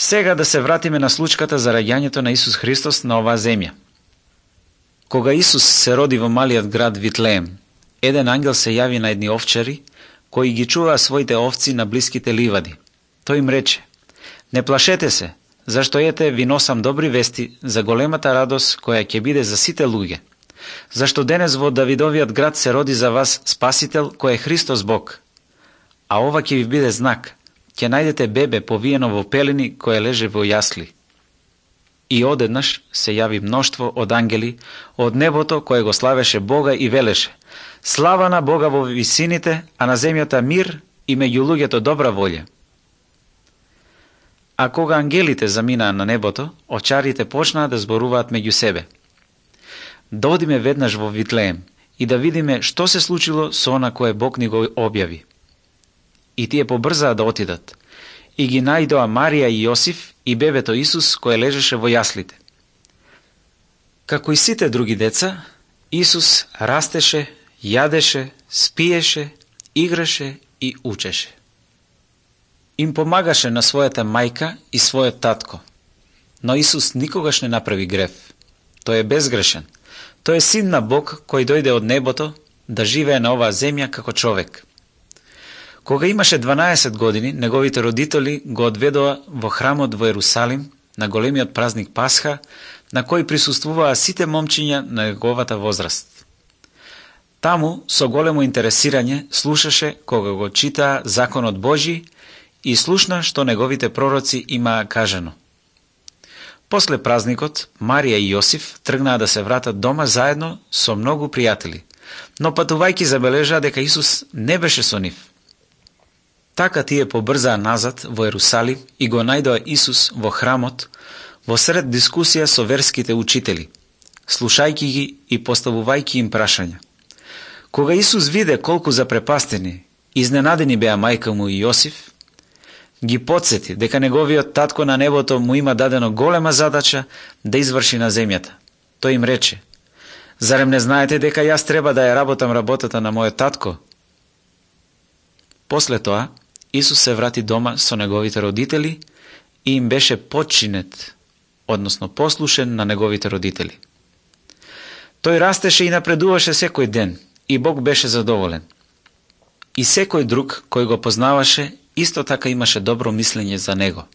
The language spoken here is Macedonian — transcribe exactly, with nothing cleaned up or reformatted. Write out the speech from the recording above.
Сега да се вратиме на случката за раѓањето на Исус Христос на оваа земја. Кога Исус се роди во малиот град Витлеем, еден ангел се јави на едни овчари, кои ги чуваа своите овци на блиските ливади. Тој им рече: не плашете се, зашто ете ви носам добри вести за големата радост која ќе биде за сите луѓе. Зашто денес во Давидовиот град се роди за вас Спасител, кој е Христос Бог. А ова ќе ви биде знак: ќе најдете бебе повиено во пелени кое леже во јасли. И одеднаш се јави мноштво од ангели од небото кое го славеше Бога и велеше: слава на Бога во висините, а на земјата мир и меѓу луѓето добра волја. А кога ангелите заминаа на небото, овчарите почнаа да зборуваат меѓу себе: да одиме веднаш во Витлеем и да видиме што се случило со она кое Бог ни го објави. И тие побрзаа да отидат, и ги најдоа Марија и Јосиф и бебето Исус кое лежеше во јаслите. Како и сите други деца, Исус растеше, јадеше, спиеше, играше и учеше. Им помагаше на својата мајка и својот татко, но Исус никогаш не направи грев. Тој е безгрешен. Тој е син на Бог кој дојде од небото да живее на оваа земја како човек. Кога имаше дванаесет години, неговите родители го одведоа во храмот во Ерусалим на големиот празник Пасха, на кој присуствуваа сите момчиња на неговата возраст. Таму, со големо интересирање, слушаше кога го читаа законот Божи и слушна што неговите пророци имаа кажано. После празникот, Марија и Јосиф тргнаа да се вратат дома заедно со многу пријатели, но патувајќи забележаа дека Исус не беше со нив. Така тие побрзаа назад во Ерусалим и го најдоа Исус во храмот, во сред дискусија со верските учители, слушајќи ги и поставувајќи им прашања. Кога Исус виде колку запрепастени, изненадени беа мајка му и Јосиф, ги потсети дека неговиот татко на небото му има дадено голема задача да изврши на земјата. Тој им рече: зарем не знаете дека јас треба да ја работам работата на мојот татко? После тоа, Исус се врати дома со неговите родители и им беше подчинет, односно послушен на неговите родители. Тој растеше и напредуваше секој ден, и Бог беше задоволен. И секој друг кој го познаваше, исто така имаше добро мислење за него.